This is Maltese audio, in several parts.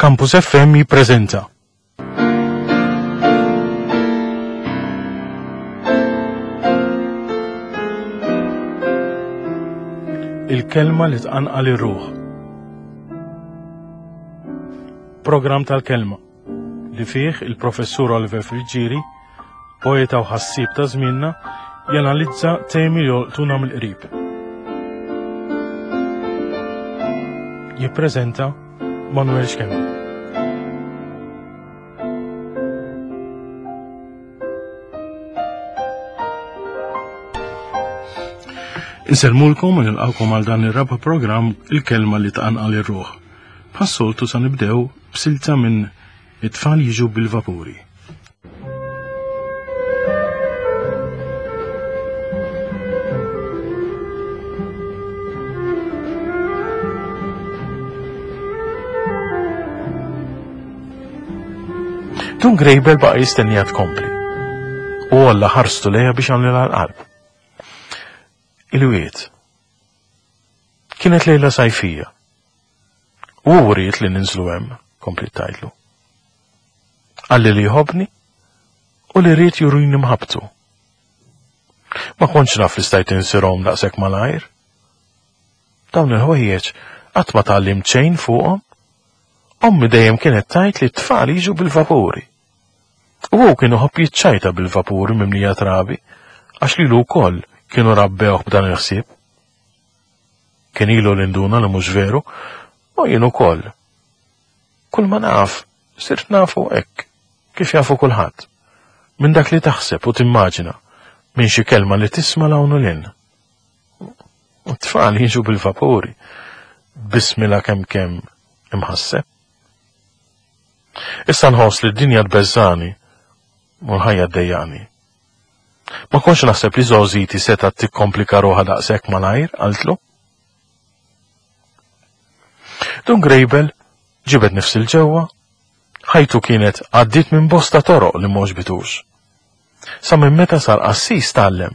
Campus FM jippreżenta. Il-kelma li tqanqal ir-ruħ. Programm tal-kelma li fih il-professur Oliver Friggieri, poeta u ħassieb ta' żmienna, janalizza temi li jolqtuna mill-qrib. Jippreżenta Manuel Schembri. Insellmulkom u nilqawkom għal dan ir-raba' programm il-kelma li tqanqal ir-ruħ. Bħas-soltu sa nibdew b'silta minn It-tfal jiġu bil-vapuri. Dun Grejbel baqa' jistennija tkompli. U għalla ħarstu lejha biex għamlilha l-qalb. Il-wiet. Kienet lejla sajfija. U hu ried li ninżlu hemm, kompliet tgħidlu. Qalli li jħobbni u li ried jurini mħabbtu. Ma kontx naf li stajt insirhom daqshekk malajr. Dawn il-ħwejjeġ qatt ma tgħallimt xejn fuqhom. Ommi dejjem kienet tgħid li t-tfal jiġu bil-vapuri. U hu kien iħobb jiċċajta bil-vapuri mimlija trabi, għax lilu wkoll kienu rabbewh b'dan il-ħsieb. Kien ilu li nduna li mhux veru, u jien ukoll. Kull ma naf, sirt nafu hekk, kif jafu kulħadd. Minn dak li taħseb u timmaġina, minn xi kelma li tisma' 'l hawn u 'l hinn. U t-tfal jiġu bil-vapuri, bismilha kemm kemm imħasseb. Issa nħoss li d-dinja tbeżżani u l-ħajja ddejjaqni. Ma kontx naħseb li żgħożiti setgħet tikkomplika ruħha daqshekk malajr, qaltlu. Dun Grejbel ġibed nifs il-ġewwa, ħajtu kienet għaddiet minn bosta toroq li m'għoġbitux. Sa minn meta sar qassis tgħallem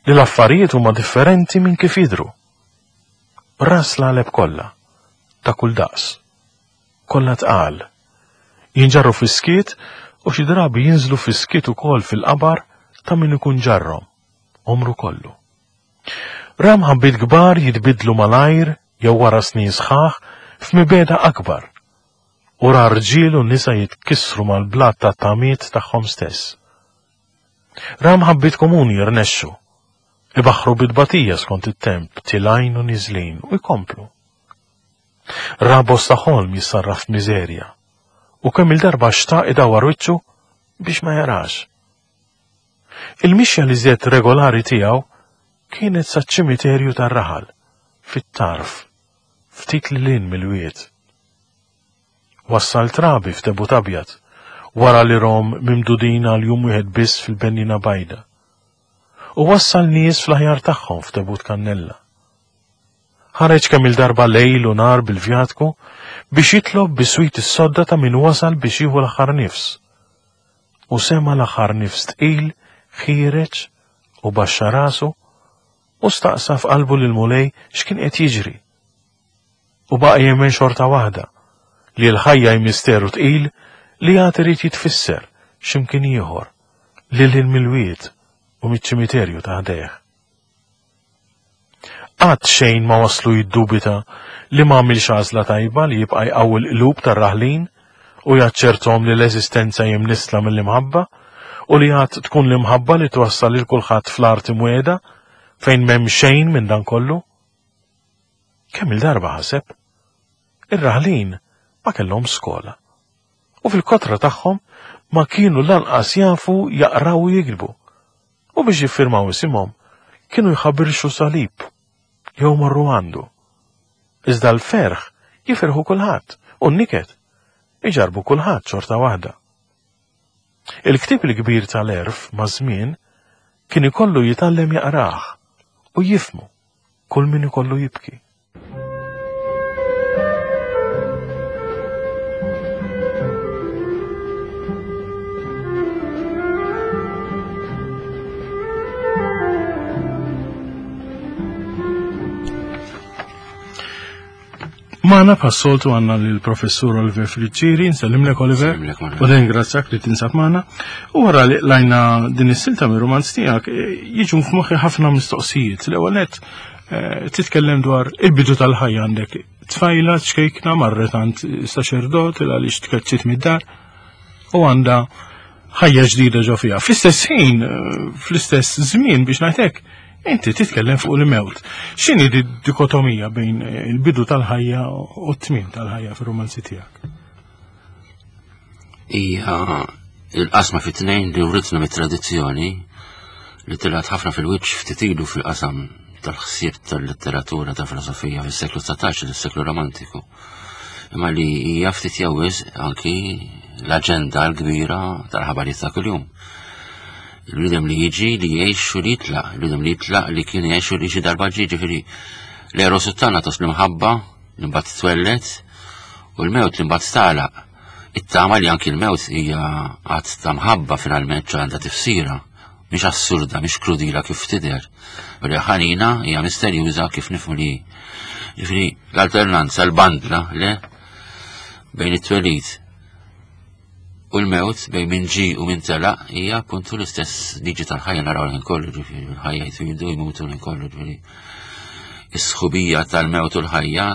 li l-affarijiet huma differenti minn kif jidhru. Ras l-għaleb kollha, ta' kull daqs. Kollha tqal. Jinġarru fis-skiet u xi drabi jinżlu fis-skiet ukoll fil-qabar ta' min ikun ġarrhom għomru kollu. Ra mħabbiet kbar jitbiddlu malajr jew wara snin sħaħ f'mibegħda akbar u ra rġiel u nisa jitkissru mal-blat tat-tamiet tagħhom stess. Ra mħabbiet komuni jirnexxu, ibaħħru bi tbatija skont it-temp, tilgħin u niżlin u jkomplu. Ra bosta ħolm jissarraf f'miżerja u kemm il-darba xtaq idawwar wiċċu biex ma jarax. Il-mixja li żjed regolari tiegħu kienet saċ-ċimiterju tar-raħal, fit-tarf, ftit lil hinn mill-wied. Wassal trabi f'tebut abjad, wara li rom mimdudin għal jum wieħed biss fil-bennina bajda. U wassal nies fl-aħjar tagħhom f'tebut kannella. Ħareġ kemm-il darba lejl u nhar bil-vjatku biex jitlob biswit is-sodda ta' min wasal biex jieħu l-aħħar nifs. U sema' l-aħħar nifs tqil ħiereġ u baxxa rasu u staqsa f'qalbu lill-Mulej x'kien qed jiġri. U baqa' jemmen xorta waħda li l-ħajja hi misteru tqil li għad irid jitfisser x'imkien ieħor lil hinn mill-wied u miċ-ċimiterju ta' ħdejh. Qatt xejn ma waslu jiddubita li ma għamilx għażla tajba li jibqa' jqawwi l-qlub tar-raħlin u jaċċerthom li l-eżistenza hi mnissla mill-imħabba u li għad tkun l-imħabba li twassal lil kulħadd fl-art imwiegħda fejn m'hemm xejn minn dan kollu. Kemm-il darba ħaseb? Ir-raħlin ma kellhomx skola u fil-kotra tagħhom ma kienu lanqas jafu jaqraw u jiktbu. U biex jiffirmaw isimhom kienu jħabirxu salib jew marru għandu. Iżda l-ferħ jifirħu kulħadd u n-niket iġarbu kulħadd xorta waħda. Il-ktieb il-kbir tal-għerf maż-żmien kien ikollu jitgħallem jaqrah u jifhmu kull min ikollu jibki. Magħna bħas-soltu għandna lill-Professur Oliver Friggieri, nsellimlek Oliver, u ringrazzjak li tinsab magħna. U wara li lajna din is-silta mir-rumanz tiegħek, eh, jiġu f'moħħi ħafna mistoqsijiet. L-ewwel nett eh, titkellem dwar il-bidu tal-ħajja għandek tfajla ċkejkna marret għand saċerdot il għaliex tkeċċiet mid-dar u għandha ħajja ġdida ġo fiha. Fl-istess ħin, eh, fl-istess żmien biex ngħidlek, inti titkellem fuq il-mewt. X'inhi di dikotomija bejn eh, il-bidu tal-ħajja u t-tmiem tal-ħajja fir-romanzi tiegħek? Hija il-qasma fit-tnejn li writna mit-tradizzjoni li tilgħat ħafna fil-wiċċ ftit ilu fil-qasam tal-ħsieb tal-letteratura ta' filosofija fis-seklu 19 il-seklu romantiku. Imma li hija ftit jew wisq anki l-aġenda l-kbira tal-ħabarijiet ta' kuljum. Il-bniedem li jiġi li jgħix u li jitlaq, il-bniedem li jitlaq li kien jgħix u li xi darba ġie ġifieri l-eros u t-thanatos l-imħabba li mbagħad twellet u l-mewt li mbagħad tagħlaq. It-tama li anki l-mewt hija att ta' mħabba finalment għandha tifsira. Mhix assurda, mhix krudila kif tidher, però hija ħanina, hija misterjuża kif nifhmu li hi. Ġifieri l-alternanza, l-bandla, le, bejn it-twelid u l-mewt, bejn min ġie u min telaq, hija appuntu l-istess liġi tal-ħajja naraw l-ħin kollu, ġifieri l-ħajja jtwildu jmutu l-ħin kollu, ġifieri is-sħubija tal-mewt u l-ħajja,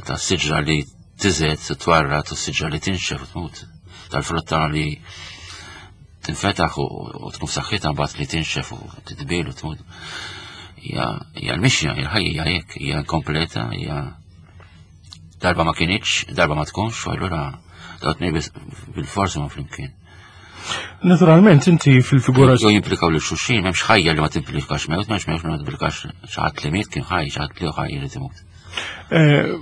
tas-siġra li tiżed, twarrad u s-siġra li tinxef u tmut, tal-frotta li tinfetaħ u tkun f'saħħitha mbagħad li tinxef u titbil u tmut. Hija l-mixja, hija l-ħajja hija hekk, hija inkompleta, hija darba ma kinitx, darba ma tkunx, u allura daw tnej bil-forsi ma flimkien. Naturalment, inti fil-figura. Jo jimplikaw li xulxin, m'hemmx ħajja li ma timplikax mewt, m'hemmx mewt li ma timplikax xi ħadd li miet kien ħaj, xi ħadd li ħaj irid imut. Eh,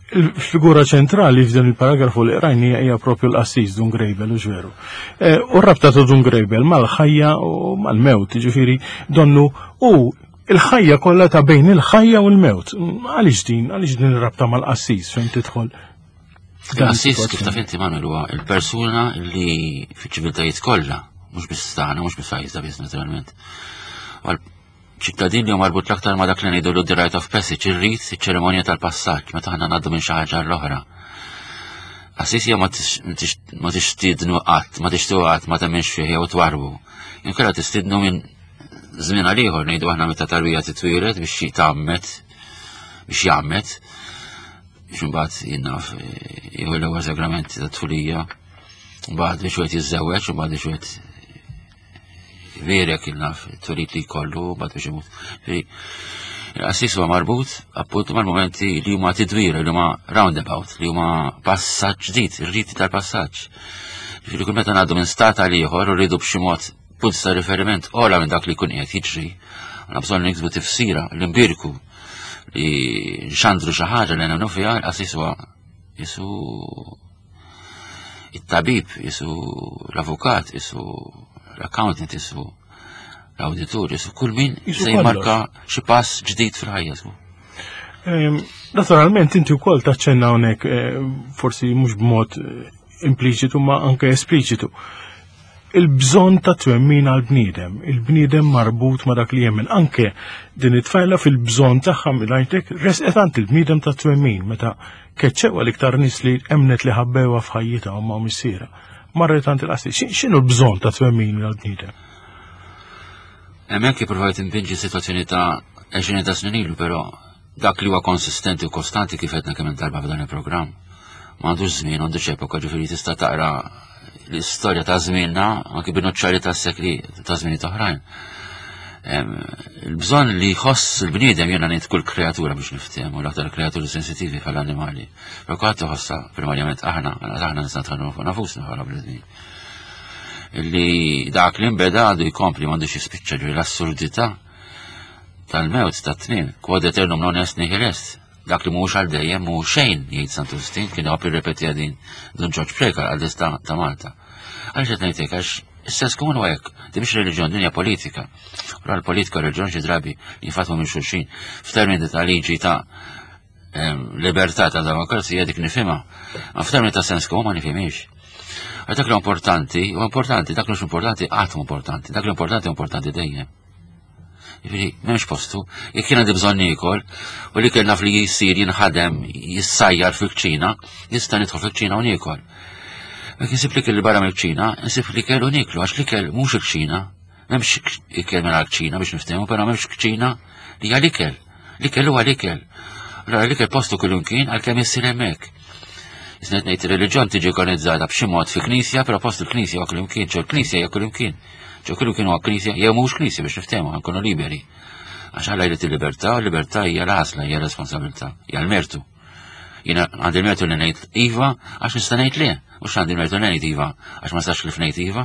Il-figura ċentrali f'dan il-paragrafu li qrajni hija propju l-qassis Dun Grejbel, u veru. Eh, u rabta ta' Dun Grejbel mal-ħajja u mal-mewt, ġifieri donnu u il-ħajja kollha ta' bejn il-ħajja u l-mewt. Għaliex din, għaliex din ir-rabta mal-qassis fejn tidħol? Il-qassis kif taf inti Manuel huwa il-persuna li fiċ-ċiviltajiet kollha, mhux biss tagħna, mhux biss pajjiżna biss naturalment. Ċittadin li hu marbut l-aktar ma' dak li ngħidulu the rite of passage, ir-rit, iċ-ċerimonja tal-passaġġ, meta aħna ngħaddu minn xi ħaġa għall-oħra. Qassis jew ma tixtiednu qatt, ma tixtiequ qatt, ma temminx fih jew twarbu. Inkella tistiednu minn żmien għal ieħor ngħidu aħna meta tarbija titwieled biex jitgħammed, biex jgħammed, biex imbagħad jinnaf jieħu l-ewwel sagrament tat-tfulija, mbagħad biex wieħed jiżżewweġ, u mbagħad biex wieħed Verek il-naf, turid li jkollu, bad biex imut. Il-qassis huwa marbut appuntu mal-momenti li huma tidwira, li huma roundabout, li huma passaġġ ġdid, ir-riti tal-passaġġ. Ġifieri kull meta ngħaddu minn stat għal ieħor u rridu b'xi mod punt ta' riferiment ola minn dak li jkun qiegħed jiġri, għandna bżonn niksbu tifsira, li nbirku, li nxandru xi ħaġa li nemmnu fiha, il-qassis huwa jisu it-tabib, jisu l-avukat, jisu l-accountant, jisu l-auditur, jisu kull min se jmarka xi pass ġdid fil-ħajja. Ehm, naturalment inti wkoll taċċenna hawnhekk eh, forsi mhux b'mod eh, impliċitu ma anke espliċitu. Il-bżonn ta' twemmin għal bniedem, il-bniedem marbut ma' dak li jemmen. Anke din it-tfajla fil-bżonn tagħha minn resqet għand il-bniedem ta' twemmin meta Keċċewha l-iktar nies li emmnet li ħabbewha f'ħajjitha ommha u missierha. Marret għand il-qassis. X'inhu l-bżonn ta' twemmin għall-bniedem? Hemmhekk ippruvajt inpinġi sitwazzjoni ta' għexrieni ta' snin ilu, però dak li huwa konsistenti u kostanti kif għedna kemm darba f'dan il-programm. M'għandux żmien, m'għandux epoka, ġifieri tista' taqra l-istorja ta' żmienna anki bin-nuċċali ta' sekli ta' żminijiet oħrajn. Il-bżonn li jħoss il-bniedem jiena ngħid kull kreatura biex niftehmu u l-aktar kreaturi sensitivi bħal annimali. Però kulħadd iħossha primarjament aħna, aħna nista' nitħallmu fuq nafusna bħala bnedmin. Li dak li nbeda għandu jkompli m'għandux jispiċċa ġifieri l-assurdità tal-mewt tat-tmiem, quod aeternum non est nihil est. Dak li mhuwiex għal dejjem mhu xejn, jgħid Sant Wistin, kien iħobb jirrepetiha din Dun Ġorġ Preca, l-qaddis ta' Malta. Għaliex qed ngħid hekk? Għax is-sens komun huwa hekk, din mhix reliġjon, din hija politika. U l-politika u reliġjon xi drabi jinfatmu minn xulxin. F'termini ta' liġi ta' libertà ta' demokrazija dik nifhimha. Ma f'termini ta' sens komun ma nifhimhiex. Għax dak li importanti, u importanti, dak li mhux importanti qatt importanti, dak li importanti importanti dejjem. Jiġifieri m'hemmx postu. Jekk jien għandi bżonn niekol u li naf li jisir jinħadem jissajjar fil-kċina, nista' nidħol fil-kċina u niekol. Jekk insib li kelli barra mill-kċina, insib li kellu nieklu għax l-ikel mhux il-kċina. M'hemmx ikel mingħajr kċina biex niftehmu, però m'hemmx kċina li hija l-ikel. L-ikel huwa l-ikel. Allora l-ikel postu kullimkien għalkemm issir hemmhekk. Isnet ngħid ir-reliġjon tiġi organizzata b'xi mod fi knisja, però post il-knisja huwa kullimkien, ġo l-knisja hija kullimkien. Ġo kullimkien huwa knisja jew mhux knisja biex niftehmu nkunu liberi. Għax Alla jrid il-libertà, u l-libertà hija l-għażla, hija responsabilità, hija l-mertu. Jiena għandi l-mertu li ngħid iva għax nista' ngħid le, mhux għandi l-mertu li ngħid iva għax ma nistax li ngħid iva,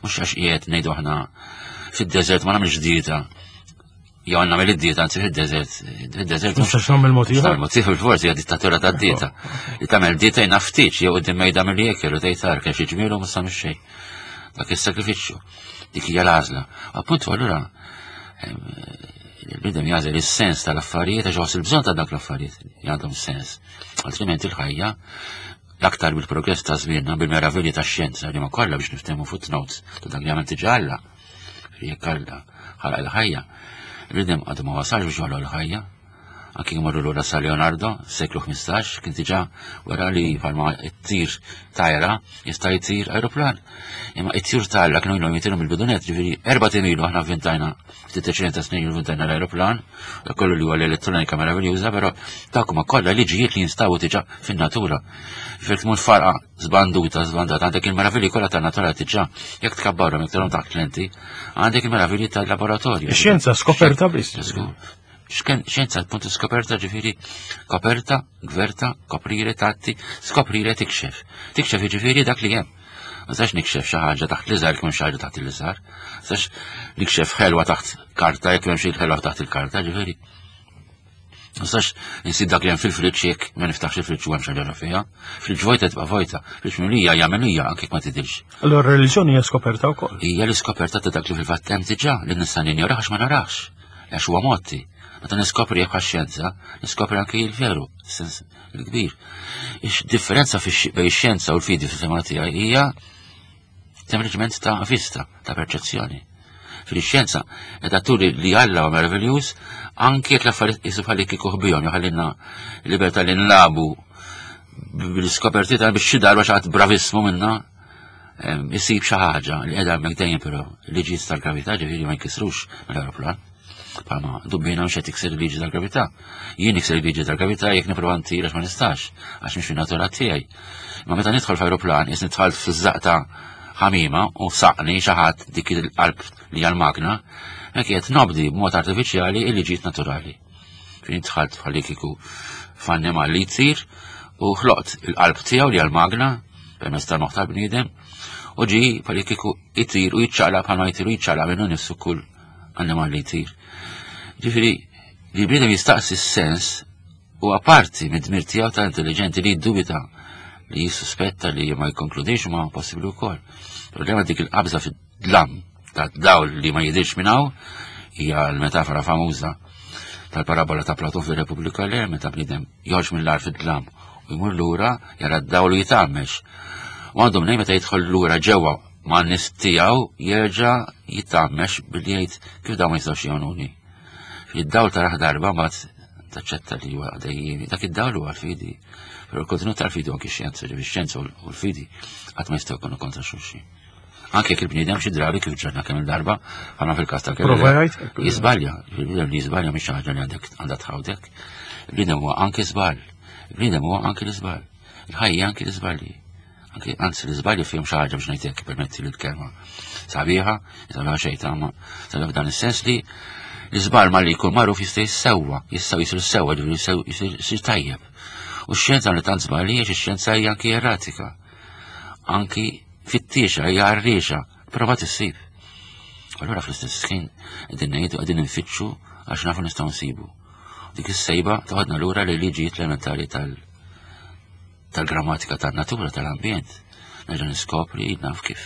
mhux għax qiegħed ngħidu aħna fid-deżert ma nagħmilx dieta jew għandna mill dieta anzi fid-deżert, fid-deżert. Mhux nagħmel mod ieħor. Mod ieħor forsi hija dittatura tad-dieta. Li tagħmel dieta jien ftit jew qudiem mejda milli jekel u tgħid ar kemm xi ġmielu ma samx xejn. Dak is-sakrifiċċju. Dik hija l-għażla. Appuntu allura il-bniedem jagħżel is-sens tal-affarijiet għax il bżonn ta' dak l-affarijiet li għandhom sens. Altrimenti il-ħajja l-aktar bil-progress ta' żmienna bil-meravilji tax-xjenza li ma kollha biex niftehmu footnotes ta' dak li għamel diġà Alla. Jekk Alla ħalaq il-ħajja, il-bniedem għadu ma wasalx biex joħloq il-ħajja. Anki jmorru lura sa Leonardo, seklu 15, kien diġà wara li bħalma t-tir tajra jista' jtir aeroplan. Imma it-tjur ta' Alla kienu ilhom jtiru mill-bidunet, ġifieri erba' ilu aħna vvintajna ftit ta' snin vvintajna l-aeroplan, dak kollu li huwa l-elettronika meraviljuża, però dak huma kollha liġijiet li jinstabu diġà fin-natura. Ġifieri tmur farqa żbanduta, żbandata, għandek il-meravilji kollha tan-natura diġà, jekk tkabbarhom, jekk tarhom taħt lenti, għandek il-meravilji tal-laboratorju. Ix-xjenza skoperta biss. Xjenza punt skoperta ġifieri koperta, gverta, koprire, tatti, skoprire tikxef. Tikxef ġifieri dak li hemm. Ma sax nikxef xi ħaġa taħt l-iżgħar jekk xi ħaġa taħt l-iżgħar. Sax nikxef ħelwa taħt karta jekk hemm xi ħelwa taħt il-karta, ġifieri. Ma sax insib dak li hemm fil-friġġ jekk ma niftaħx il-friġġ u hemm xi ħaġa fiha. Friġġ vojta tibqa' vojta, friġġ mimlija hija mimlija anke ma tidhirx. Allora r-reliġjoni hija skoperta wkoll. Hija l-iskoperta ta' dak li fil-fatt hemm diġà li nista' ninjorax għax ma narax. Għax huwa motti. Meta niskopri bħal xjenza, niskopri anke il-veru, sens il-kbir. Ix-differenza bejn ix-xjenza u l-fidi fil-fema tiegħi hija sempliċement ta' vista, ta' perċezzjoni. Fil-xjenza qed turi li Alla huwa meraviljuż anke jekk l-affarijiet qisu bħal kieku ħbihom joħallilna libertà li nlabu bil-iskoperti ta' biex xi darba xi ħadd bravissmu minna isib xi ħaġa li qiegħda hemmhekk dejjem però liġijiet tal-gravità ġifieri ma jkissrux mill-aeroplan. Palma dubbina mhux qed tikser il-liġi tal-gravità. Jien nikser il-liġi tal-gravità jekk nipprova ntir għax ma nistax, għax mhix fin-natura tiegħi. Ma meta nidħol f'aeroplan is nidħol fiż-żaq ta' ħamima u saqni xi ħadd dik il-qalb li hija l-magna, hekk qed nobdi b'mod artifiċjali il-liġijiet naturali. Fejn dħalt bħalli kieku f'annimal li jtir u ħloqt il-qalb tiegħu li għal-magna permezz tal-moħħ tal-bniedem u ġi bħalli kieku jtir u jiċċaqlaq bħalma jtir u jiċċaqlaq minnu nifsu kull annimal li jtir. Ġifieri li l-bniedem jistaqsi s-sens u apparti mid-dmir tiegħu ta' intelligenti li jiddubita li jissuspetta li ma jikkonkludix ma possibbli wkoll. Problema dik il-qabża fid-dlam ta' dawl li ma jidirx minn hawn hija l-metafora famuża tal-parabola ta' Platon fir-Repubblika le meta bniedem joħroġ mill-ar fid-dlam u jmur lura jara d-dawl u jitgħammex. U għandu mnejn meta jidħol lura ġewwa ma' nies tiegħu jerġa' jitgħammex billi jgħid kif dawn ma jistgħux jgħinuni. Id-dawl taraħ darba mbagħad taċċetta li huwa dejjiemi. Dak id-dawl huwa l-fidi. Però l-kontenut tal-fidi anki x-xjenza, ġifieri x-xjenza u l-fidi qatt ma jistgħu jkunu kontra xulxin. Anke jekk il-bniedem xi drabi kif ġarna kemm il-darba, bħalma fil-każ ta' Jizbalja, il-bniedem li jiżbalja mhix ħaġa li għandek għandha tħawdek. Il-bniedem huwa anke żball. Il-bniedem huwa anke l-iżball. Il-ħajja anke l-iżbalji. Anke anzi l-iżbalji fihom xi ħaġa biex ngħidlek permetti li l-kelma. Sabiħa, sabiħa xejn tama, sabiħa f'dan is-sens li l-iżball ma li jkun magħruf jista' jissewwa, jistgħu jisir sewwa, ġifieri jisir tajjeb. U x-xjenza li tant żbalji għax ix-xjenza hija anki erratika. Anki fittiexa, hija għarriexa, prova tissib. Allura fl-istess ħin qegħdin ngħidu qegħdin infittxu għax nafu nistgħu nsibu. Dik is-sejba toħodna lura li liġijiet elementari tal tal-grammatika tan-natura tal-ambjent. Nerġa' niskopri naf kif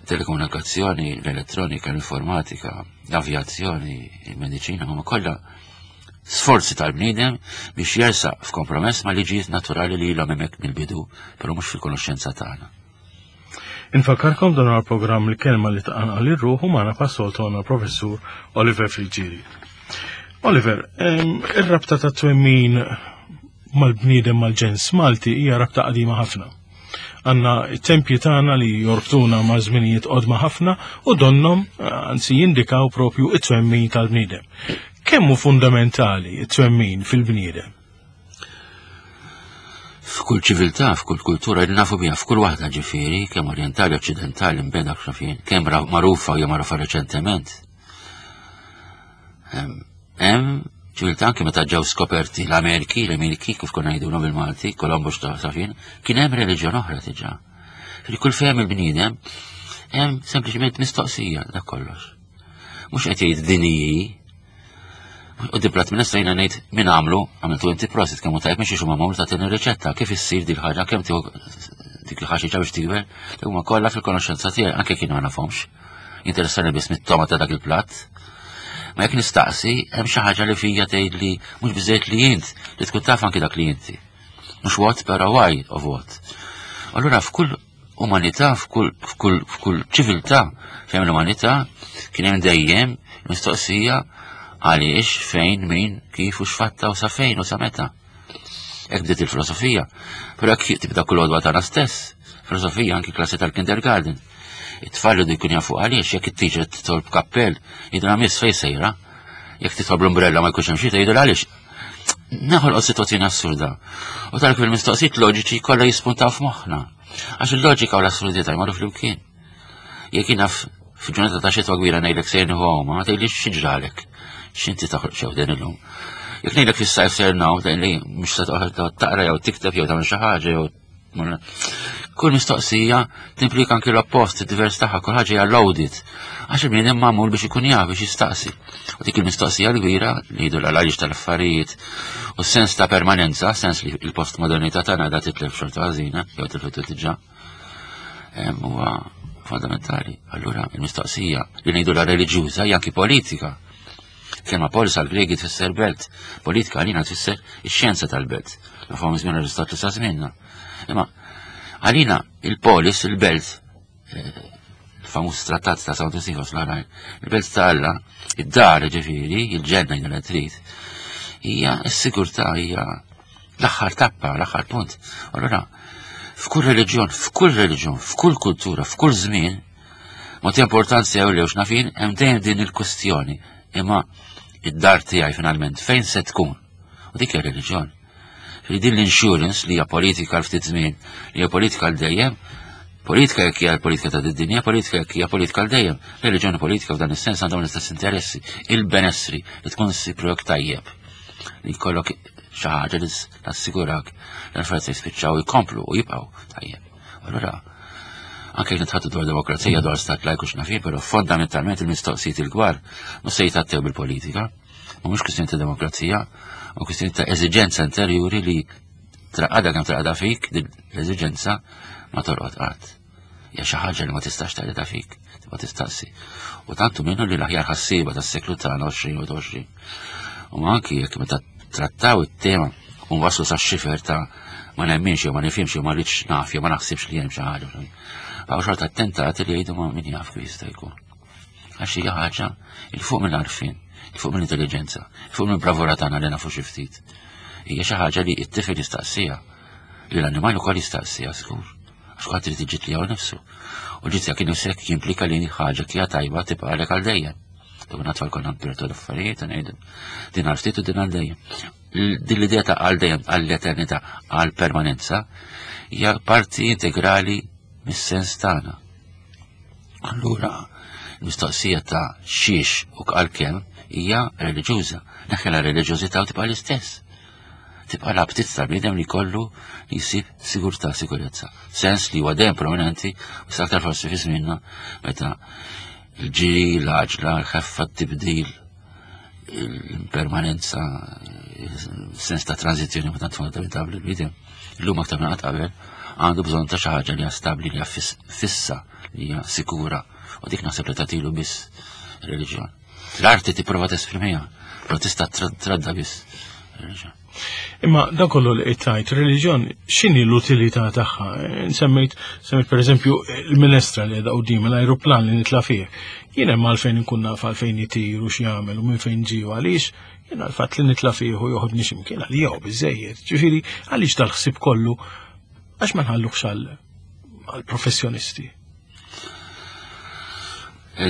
telekomunikazzjoni, l-elettronika, l-informatika, l-avjazzjoni, il-mediċina, huma kollha sforzi tal-bniedem biex jersaq f'kompromess ma' liġijiet naturali li ilhom hemmhekk mill-bidu, però mhux fil-konoxxenza tagħna. Infakkarkom dan għal programm il-kelma li tqanqal ir-ruħ u magħna passoltu għandna professur Oliver Friggieri. Oliver, ir-rabta ta' twemmin mal-bniedem mal-ġens Malti hija rabta qadima ħafna. Għanna it-tempji tagħna li jorbtuna ma' żminijiet qodma ħafna u donnom anzi jindikaw propju it-twemmin tal-bniedem. Kemm hu fundamentali it-twemmin fil-bniedem? F'kull ċiviltà, f'kull kultura, li nafu biha, f'kull waħda ġifieri, kemm orjentali, oċċidentali, mbeda xafien, kemm magħrufa jew magħrufa reċentement. Hemm ċiviltà anke meta ġew skoperti l-Amerki, l-Emirki, kif konna ngħidulhom bil-Malti, Kolombus ta' safien, kien hemm reliġjon oħra diġà. Fil kull fehem il-bniedem, hemm sempliċement mistoqsija dak kollox. Mhux qed jgħid din hi U dibrat minn issa jiena ngħid min għamlu, għamiltu inti prosit kemm hu tajjeb mhix huma magħmul tagħtini riċetta kif issir dik ħaġa kemm tieħu dik il-ħaxixa biex tikber, huma kollha fil-konoxxenza tiegħi anke kienu ma nafhomx. Jinteressani biss mit-toma ta' dak il-platt. Ma jekk nistaqsi, hemm xi ħaġa li fija tgħid li mhux biżejjed li int li tkun taf anki dak li inti. Mhux what, però why of what. Allura f'kull umanità, f'kull f'kull f'kull ċiviltà fejn l-umanità kien hemm dejjem mistoqsija għaliex, fejn, min, kif u x'fatta u sa fejn u sa meta. Hekk bdiet il-filosofija. Però hekk tibda kull għodwa tagħna stess. Filosofija anki klassi tal-kindergarten. It-tfal jridu jkun jafu għaliex jekk it-teacher titolb kappell, jidra miss fejn sejra. Jekk titolb l-umbrella ma jkunx hemm xita jidra għaliex. Naħolqu situazzjoni assurda. U tal fil-mistoqsijiet loġiċi kollha jispuntaw f'moħħna. Għax il-loġika u l-assurdità jmorru flimkien. Jekk jiena f'ġurnata ta' xitwa kbira ngħidlek sejr nieħu għawma, ma tgħidlix xi ġralek. X'inti toħroġ xew din illum. Jekk ngħidlek fis-sajf sejr naw, tgħidli mhux se toħroġ taqra jew tikteb jew tagħmel xi ħaġa jew Kull mistoqsija timplika anki l-oppost, id-divers tagħha, kull ħaġa hija loaded. Għax il-bniedem magħmul biex ikun jaf biex jistaqsi. U dik il-mistoqsija l-kbira li jgħidu l-għaliex tal-affarijiet u s-sens ta' permanenza, sens li l-postmodernità tagħna da titlef xorta ħażina, jew tilfetu diġà, huwa fondamentali. Allura il-mistoqsija li ngħidu la reliġjuża hija anki politika. Kelma polis għal Gregi tfisser belt, politika għalina tfisser ix-xjenza tal-belt. Nafhom żmien Aristotlu sa żmienna. Imma għalina il-polis, il-belt, eh, il-famuż trattat ta' San Tusifos l-oħrajn, il-belt ta' Alla, id-dar ġifieri, il-ġenna jgħid trid, hija s-sigurtà hija l-aħħar tappa, l-aħħar punt. Allura, f'kull reliġjon, f'kull reliġjon, f'kull kultura, f'kull żmien, ma importanza jew lew x'nafin, hemm dejjem din il-kwestjoni. Imma id-dar tiegħi finalment fejn se tkun? U dik hija reliġjon. Li din l-insurance li hija politika l ftit żmien, li hija politika l dejjem, politika jekk hija l-politika ta' dinja, politika jekk hija politika l dejjem. Reliġjoni politika f'dan is-sens għandhom l-istess interessi, il-benessri li tkun ssib tajjeb li jkollok xi ħaġa li tassigurak li l-affarijiet se jispiċċaw jkomplu u jibqgħu tajjeb. Allura, anke jekk nitħattu dwar demokrazija, dwar stat lajku x'naf però fondamentalment il-mistoqsijiet il-kbar mhux se jitgħattew bil-politika. Ma mhux kwistjoni ta' demokrazija, ma kwistjoni ta' eżiġenza interjuri li traqada kemm traqada fik, din l-eżiġenza ma torqod qatt. Hija xi ħaġa li ma tistax taqlidha fik, tibqa' tistaqsi. U tantu minnu li l-aħjar ħassieba tas-seklu tagħna 20 u 20. U anki jekk meta trattaw it-tema u waslu sa xifer ta' ma nemminx jew ma nifhimx jew ma rridx naf jew ma naħsibx li hemm xi ħaġa. Għaw xorta attentati li jgħidu ma min jaf kif jista' jkun. Għax hija ħaġa il fuq mill-għarfien, il fuq mill-intelligenza, il fuq mill-bravura tagħna li nafu xi ftit. Hija xi ħaġa li t-tifel jistaqsija, li l-annimal ukoll jistaqsija żgur. Għax kulħadd irid iġid li nifsu. U ġid jekk nifsek jimplika li ħaġa kija tajba tibqa' għalek għal dejjem. Dawk natfal konna nbirtu l-affarijiet u ngħidu din għal ftit u din għal dejjem. Din l-idea ta' għal dejjem għall-eternità għal permanenza hija parti integrali mis-sens tagħna. Allura, l-mistoqsija ta' xiex u għal kemm hija reliġjuża. Neħħela reliġjużità u tibqa' l-istess. Tibqa' l-aptit tal-bniedem li kollu li jsib sigurtà, sikurezza. Sens li huwa dejjem prominenti u sa aktar forsi fi żmienna meta l-ġiri, l-għaġla, l-ħeffa, t-tibdil, l-impermanenza, sens ta' tranzizzjoni ma tant fondamentali l-bniedem. Illum aktar minn qatt qabel għandu bżonn ta' xi ħaġa li hija stabbli, li hija fissa, li hija sikura. U dik naħseb li tagħtilu biss reliġjon. L-arti tipprova tesprimiha, però tista' tradda biss. Reliġjon. Imma dan kollu li qed tgħid, reliġjon x'inhi l-utilità tagħha? Semmejt, semmejt pereżempju il-minestra li qiegħda quddiem l-ajruplan li nitla' fih. Jien hemm għalfejn inkun naf għalfejn itir u x'jagħmel u minn fejn ġie u għaliex, jien għall-fatt li nitla' fih u joħodni x'imkien għalija hu biżejjed. Ġifieri għaliex dal-ħsieb kollu għax ma nħalluhx għall-professjonisti?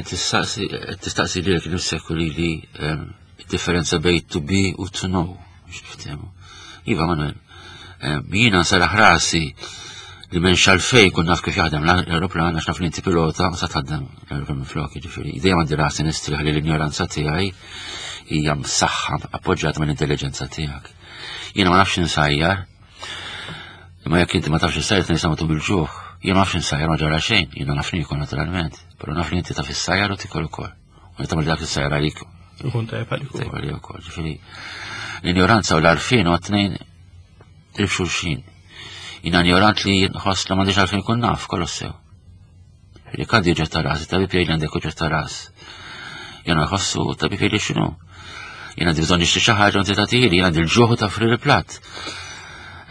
Tistaqsi lilek nifsek u lili ehm, Differenza bejn to be u to know, biex niftehmu. Iva, Manuel, eh, jiena nsaraħ rasi li m'hemmx għalfejn kun naf kif jaħdem l-aeroplan għax naf li inti pilota u sa tħaddem l-aeroplan minn flok, jiġifieri. Dejjem għandi rasi nistrieħ li l-injoranza tiegħi hija msaħħa appoġġjata mill-intelligenza tiegħek. Jiena ma nafx insajjar, imma jekk inti ma tafx insajjar tnejn tum bil-ġuħ. Jiena ma nafx insajjar ma ġara xejn, jiena naf niekol naturalment, però naf li inti taf issajjar u tikol ukoll. U tagħmel dak is-sajjar għalik. Ikun tajjeb għalik. Tajjeb għalik ukoll. Ġifieri l-injoranza u l-għarfien u t-tnejn qrib xulxin. Jiena injorant li nħoss li m'għandix għalfejn kun naf, kollox sew. Li għandi uġġett ta' ras, tabib jgħid li għandek uġġett ta' ras. Jiena jħossu tabib jgħid li x'inhu. Jiena għandi bżonn nixtri xi ħaġa u inti tagħtihili, jiena għandi l-ġuħ ta' fri l-platt.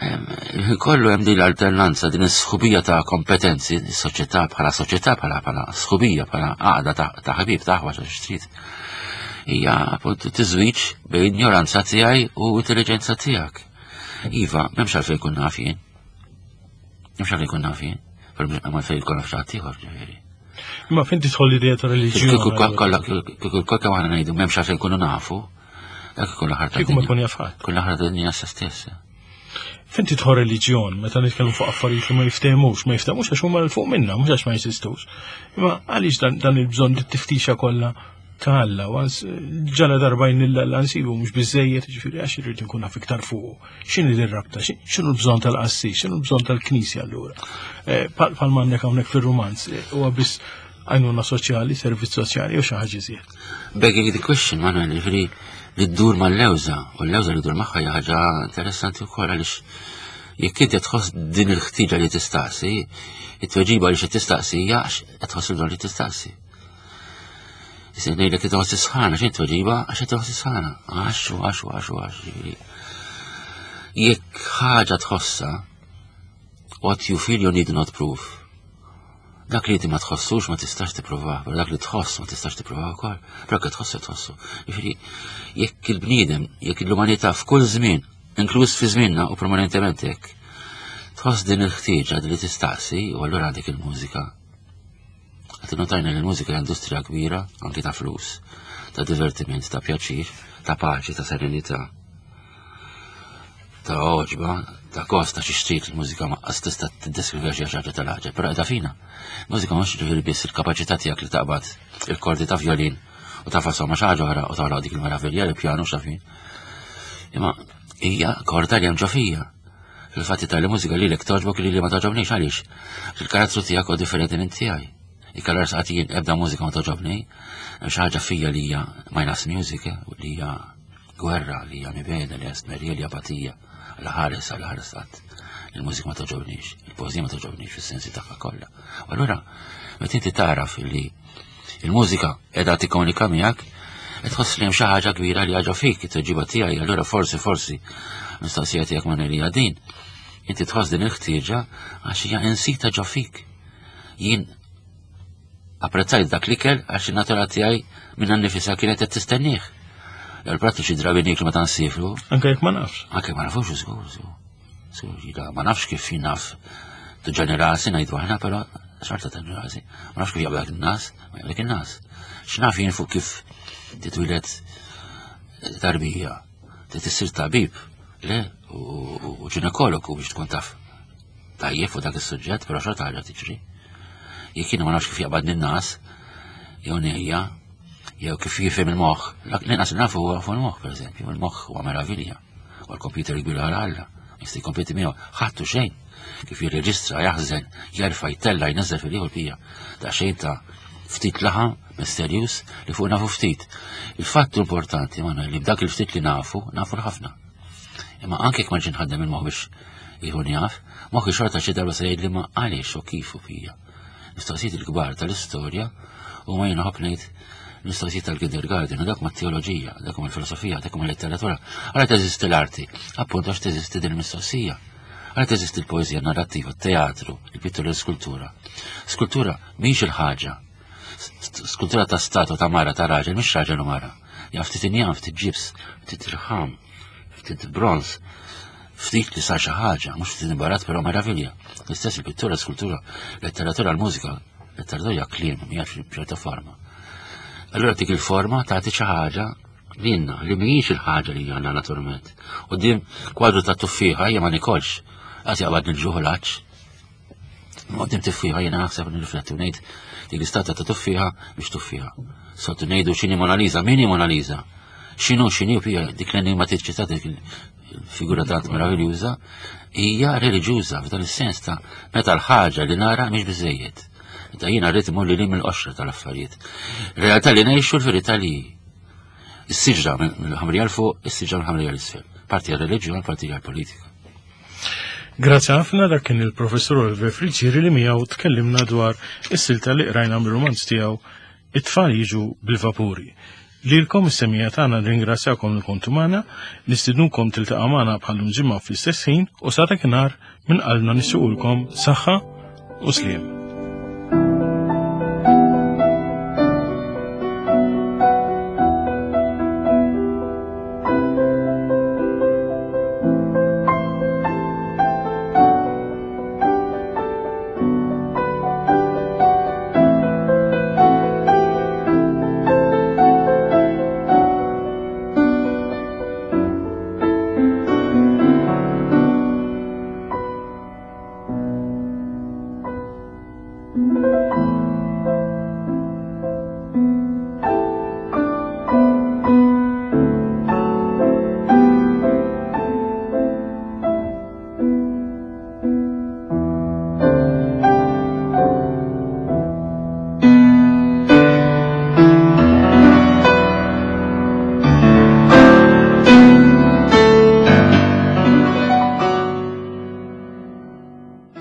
Il-ħin kollu hemm din l-alternanza, din is-sħubija ta' kompetenzi, is-soċjetà bħala soċjetà bħala bħala sħubija bħala għaqda ta' ħabib ta' aħwa ta' xtrid. Hija appuntu tiżwiġ bejn ignoranza tiegħi u intelligenza tiegħek. Iva, m'hemmx għalfejn kun naf jien. M'hemmx għalfejn kun naf jien, però m'hemm għalfejn jkun naf xi ħadd ieħor ġifieri. Imma fejn tidħol l-idea ta' reliġjon? Kieku kollha aħna ngħidu m'hemmx għalfejn kunu nafu, Dak ikun l-aħħar ta' Kieku ma jkun jaf ħadd. Kull aħħar ta' dinja sa stess. Fejn tidħol reliġjon meta nitkellmu fuq affarijiet li ma jiftehmux, ma jiftehmux għax huma l fuq minna, mhux għax ma jeżistux. Imma għaliex dan, dan il-bżonn li tiftixa kollha ta' Alla, ġala darba jnilla Alla nsibu mhux biżejjed, ġifieri għax irrid nkun naf iktar fuq. X'inhi r-rabta, x'inhu l-bżonn tal-qassis, x'inhu l-bżonn tal-knisja allura. Eh, pal m'għandek hawnhekk fir-rumanz, eh, huwa biss għajnuna soċjali, servizz soċjali u xi ħaġa iżjed. Begging the question, Manuel, ġifieri li ddur mal-lewża, u l-lewża li ddur magħha hija ħaġa interessanti wkoll għaliex jekk inti tħoss din il-ħtiġa li tistaqsi, it-tweġiba li xi tistaqsi hija għax qed tħoss il li tistaqsi. Issa ngħidlek qed tħoss is-sħana, x'inhi tweġiba għax qed tħoss is-sħana. Għax u għax u għax u għax. Jekk ħaġa tħossha, what you feel you need not prove. Dak li inti ma tħossux ma tistax tippruvah, però dak li tħoss ma tistax tippruvah ukoll. Però jekk tħossu tħossu. Jiġifieri jekk il-bniedem, jekk l-umanità f'kull żmien, inkluż fi żmienna u permanentement hekk, tħoss din il-ħtieġa li tistaqsi u allura għandek il-mużika. Qed notajna li l-mużika hija industrija kbira anki ta' flus, ta' divertiment, ta' pjaċir, ta' paċi, ta' serenità. ta' oġba, ta' kosta xi xtrid il-mużika ma qas tista' tiddeskrivi xi ħaġa tal-ħaġa, però qiegħda fina. Mużika mhux ġifieri biss il-kapaċità tiegħek li taqbad il-kordi ta' violin u ta' fasom ma' xi ħaġa oħra u toħloq dik il-meravilja li pjanu xafin. Imma hija korda li hemm ġo fija. Fil-fatt tal mużika li lek toġbok li li ma toġobniex għaliex. Il-karattru tiegħek huwa differenti minn tiegħi. Ikkalar saqat jien ebda mużika ma toġobni, hemm xi ħaġa fija li hija minus music, eh, li hija Gwerra li hija mibegħda, li hija stmerrija, li hija apatija, għal ħares għal ħares qatt. Il-mużika ma toġobnix, il-poeżija ma toġobnix fis-sensi tagħha kollha. U allura meta inti tagħraf li il-mużika qiegħda tikkomunika miegħek, qed tħoss li hemm xi ħaġa kbira li ħaġa fik, it-tweġiba tiegħi, allura forsi forsi mistoqsija tiegħek ma hija din. Inti tħoss din il-ħtieġa għax hija insita ġo fik. Jien Apprezzajt dak l-ikel għax in-natura tiegħi minnha nnifisha kienet qed tistennieh. Il-prattiċi drabi nieklu meta nsifru. Anke jekk ma nafx. Anke ma nafux, żgur, żgur. Żgur, ma nafx kif naf tuġani rasi ngħidu aħna, però xorta tuġani rasi. Ma nafx kif jaqblek in-nas, ma jaqblek in-nas. X'naf jien fuq kif titwilet tarbija, tissir tabib, le, u ġinekologu biex tkun taf tajjeb fuq dak is-suġġett, però xorta ħaġa tiġri. Jekk jiena ma nafx kif jaqbadni n-nas, jew nejja, jew kif jifhem il-moħħ, l-inqas li nafu huwa fuq il-moħħ, pereżempju, il-moħħ huwa meravilja, u l-kompjuter kbir għal Alla, jista' jkompeti miegħu, ħadd u xejn, kif jirreġistra, jaħżen, jerfa' jtella' jneżżel fil-ieħor pija, ta' xejn ta' ftit laħam misterjuż li fuq nafu ftit. Il-fatt importanti, Manuel, li b'dak il-ftit li nafu, nafu l-ħafna. Imma anke jekk ma ġinħaddem il-moħħ biex Jkun jaf, moħħi xorta xi darba se jgħidli ma għaliex u kif u fija. Mistoqsijiet il-kbar tal-istorja u ma jien ngħid Mistoqsijiet tal-kindergarten, u dak ma' teoloġija, dak ma' filosofija, dak ma' letteratura. Għala teżisti l-arti, appuntu għax teżisti din il-mistoqsija. Għala teżisti l-poeżija, narrattiva, teatru, il-pittura, l-skultura. Skultura mhix il-ħaġa. Skultura ta' statu ta' mara ta' raġel, mhix raġel u mara. Ja ftit injam, ftit ġibs, ftit irħam, ftit bronz, ftit li sar xi ħaġa, mhux ftit imbarat però meravilja. L-istess il-pittura, skultura, letteratura, l-mużika, letteratura hija kliem, hija ċerta forma. Allura dik il-forma tagħti xi ħaġa lilna li mhijiex il-ħaġa li għandna naturalment. U din kwadru ta' tuffieħa hija ma nikolx, għas jaqbad nil-ġuħ l-għatx. Għoddim tuffieħa jiena naħseb nirrifletti u ngħid dik l-istata ta' tuffieħa biex tuffieħa. Soltu ngħidu x'inhi Mona Lisa, min hi Mona Lisa? X'inhu x'inhi pija dik l-enigma tiċċita dik figura tant meraviljuża hija reliġjuża f'dan is-sens ta' meta l-ħaġa li nara mhix biżejjed. Meta jiena rrid imur li mill-qoxra tal-affarijiet. Realtà li ngħixu l-verità li s-siġra mill-ħamrija l fuq, is-siġra mill-ħamrija l-isfel. Parti għal-reliġjon, parti għal-politika. Grazzi ħafna dak kien il-professur Oliver Friggieri li miegħu tkellimna dwar is-silta li qrajna mir-romanz tiegħu It-tfal jiġu bil-vapuri. Lilkom is-semija tagħna nirringrazzjakom li kontu magħna, nistidnukom tiltaqa' magħna bħal ġimgħa fl-istess ħin u sa dakinhar minn qalbna nixtiequlkom saħħa u sliem.